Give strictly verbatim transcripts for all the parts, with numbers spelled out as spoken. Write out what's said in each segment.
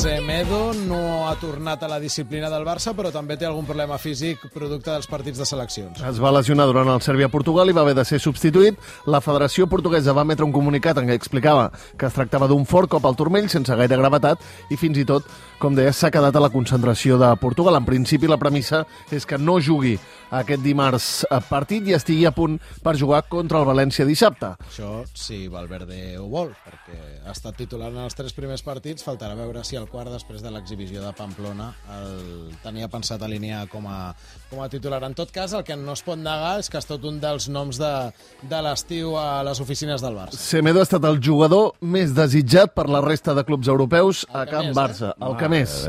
Semedo no ha tornat a la disciplina del Barça, però també té algun problema físic producte dels partits de seleccions. Es va lesionar durant el Sèrbia-Portugal i va haver de ser substituït. La Federació Portuguesa va emetre un comunicat en què explicava que es tractava d'un fort cop al turmell sense gaire gravetat i fins i tot, com deia, s'ha quedat a la concentració de Portugal. En principi la premissa és que no jugui aquest dimarts a partit i estigui a punt per jugar contra el València dissabte. Això si Valverde ho vol, perquè ha estat titular en els tres primers partits, faltarà veure si el quart, després de l'exhibició de Pamplona, el tenia pensat alinear com a, com a titular. En tot cas, el que no es pot negar és que és tot un dels noms de, de l'estiu a les oficines del Barça. Semedo ha estat el jugador més desitjat per la resta de clubs europeus a Camp més, Barça. Eh? El que més.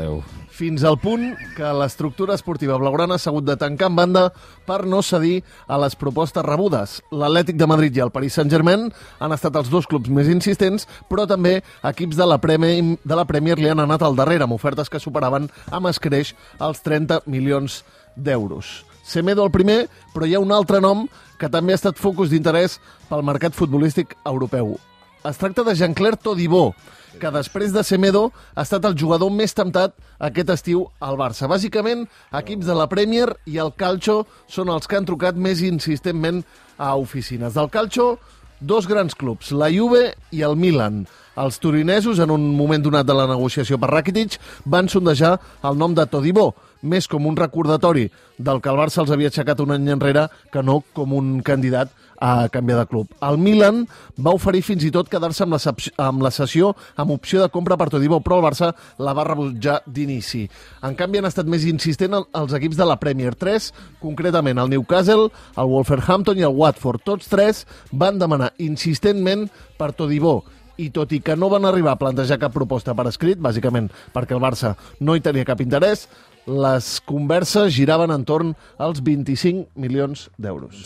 Fins al punt que l'estructura esportiva blaugrana s'ha hagut de tancar en banda per no cedir a les propostes rebudes. L'Atlètic de Madrid i el Paris Saint-Germain han estat els dos clubs més insistents, però també equips de la Premier, de la Premier li han anat al darrere, amb ofertes que superaven amb escreix els trenta milions d'euros. Semedo el primer, però hi ha un altre nom que també ha estat focus d'interès pel mercat futbolístic europeu. Es tracta de Jean-Claire Todibo, que després de Semedo ha estat el jugador més temptat aquest estiu al Barça. Bàsicament, equips de la Premier i el Calcio són els que han trucat més insistentment a oficines. Del Calcio, dos grans clubs, la Juve i el Milan. Els turinesos, en un moment donat de la negociació per Rakitic, van sondejar el nom de Todibo, més com un recordatori del que el Barça els havia aixecat un any enrere que no com un candidat a canviar de club. El Milan va oferir fins i tot quedar-se amb, amb la sessió amb opció de compra per Todibo, però el Barça la va rebutjar d'inici. En canvi, han estat més insistents els equips de la Premier. Tres, concretament el Newcastle, el Wolverhampton i el Watford. Tots tres van demanar insistentment per Todibo. I tot i que no van arribar a plantejar cap proposta per escrit, bàsicament perquè el Barça no hi tenia cap interès, les converses giraven entorn als vint-i-cinc milions d'euros.